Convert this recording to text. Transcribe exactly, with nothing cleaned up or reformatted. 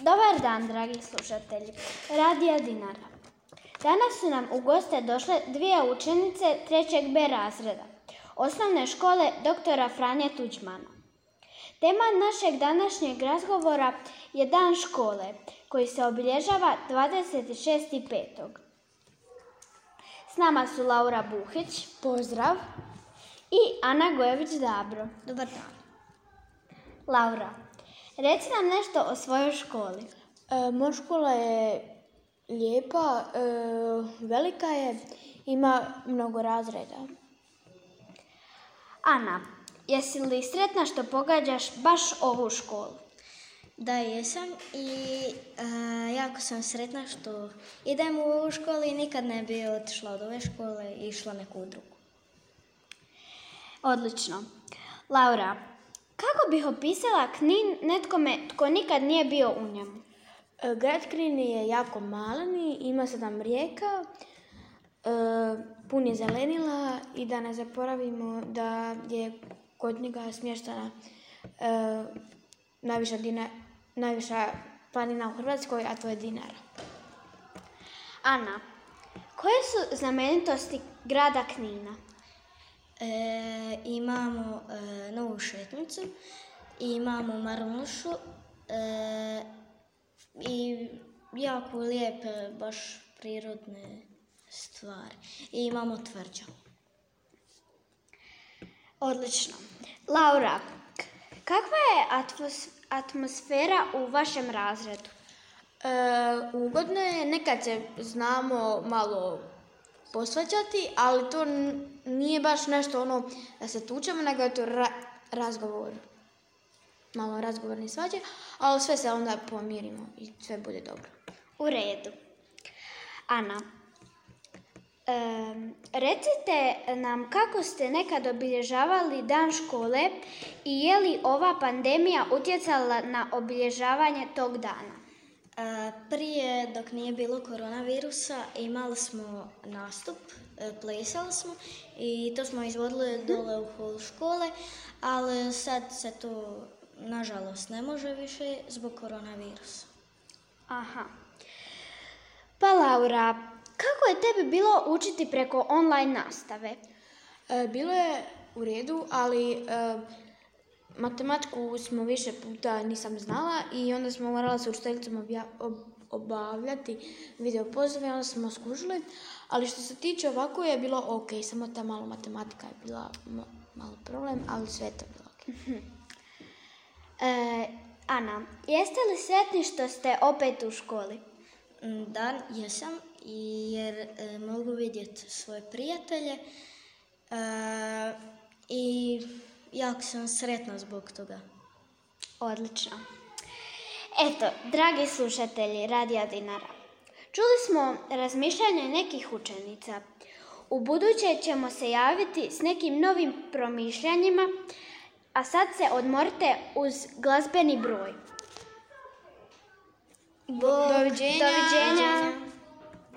Dobar dan, dragi slušatelji Radija Dinara. Danas su nam u goste došle dvije učenice trećeg B razreda osnovne škole doktora Franje Tuđmana. Tema našeg današnjeg razgovora je Dan škole, koji se obilježava dvadeset šestog petog S nama su Laura Buhić, pozdrav, i Ana Gojević-Dabro. Dobar dan. Laura, reci nam nešto o svojoj školi. E, moja škola je lijepa, e, velika je, ima mnogo razreda. Ana, jesi li sretna što pogađaš baš ovu školu? Da, jesam i e, jako sam sretna što idem u ovu školu i nikad ne bi otišla od ove škole i išla neku drugu. Odlično. Laura, kako bih opisala Knin netkome tko nikad nije bio u njemu? E, grad Knin je jako malen i ima sedam rijeka, e, pun je zelenila i da ne zaboravimo da je kod njega smještena e, najviša, dina, najviša planina u Hrvatskoj, a to je Dinara. Ana, koje su znamenitosti grada Knina? E, imamo e, novu šetnicu, imamo Marunšu e, i jako lijepe, baš prirodne stvari. I imamo tvrđavu. Odlično. Laura, kakva je atmos, atmosfera u vašem razredu? E, ugodno je, nekad se znamo malo posvađati, ali to nije baš nešto ono da se tučemo, nego je to ra- razgovor, malo razgovorni svađe, ali sve se onda pomirimo i sve bude dobro. U redu. Ana, um, recite nam kako ste nekad obilježavali Dan škole i je li ova pandemija utjecala na obilježavanje tog dana? E, prije, dok nije bilo koronavirusa, imali smo nastup, e, plesali smo i to smo izvodili dole u holu škole, ali sad se to nažalost ne može više zbog koronavirusa. Aha. Pa Laura, kako je tebi bilo učiti preko online nastave? E, bilo je u redu, ali e, matematiku smo više puta nisam znala i onda smo morala sa učiteljicom obavljati video pozove i onda smo skužili, ali što se tiče ovako je bilo ok, samo ta malo matematika je bila m- malo problem, ali sve je to bilo ok. E, Ana, jeste li sretni što ste opet u školi? Da, jesam, jer e, mogu vidjeti svoje prijatelje e, i jako sam sretna zbog toga. Odlično. Eto, dragi slušatelji Radija Dinara, čuli smo razmišljanje nekih učenica. U buduće ćemo se javiti s nekim novim promišljanjima, a sad se odmorite uz glazbeni broj. Doviđenja. Doviđenja.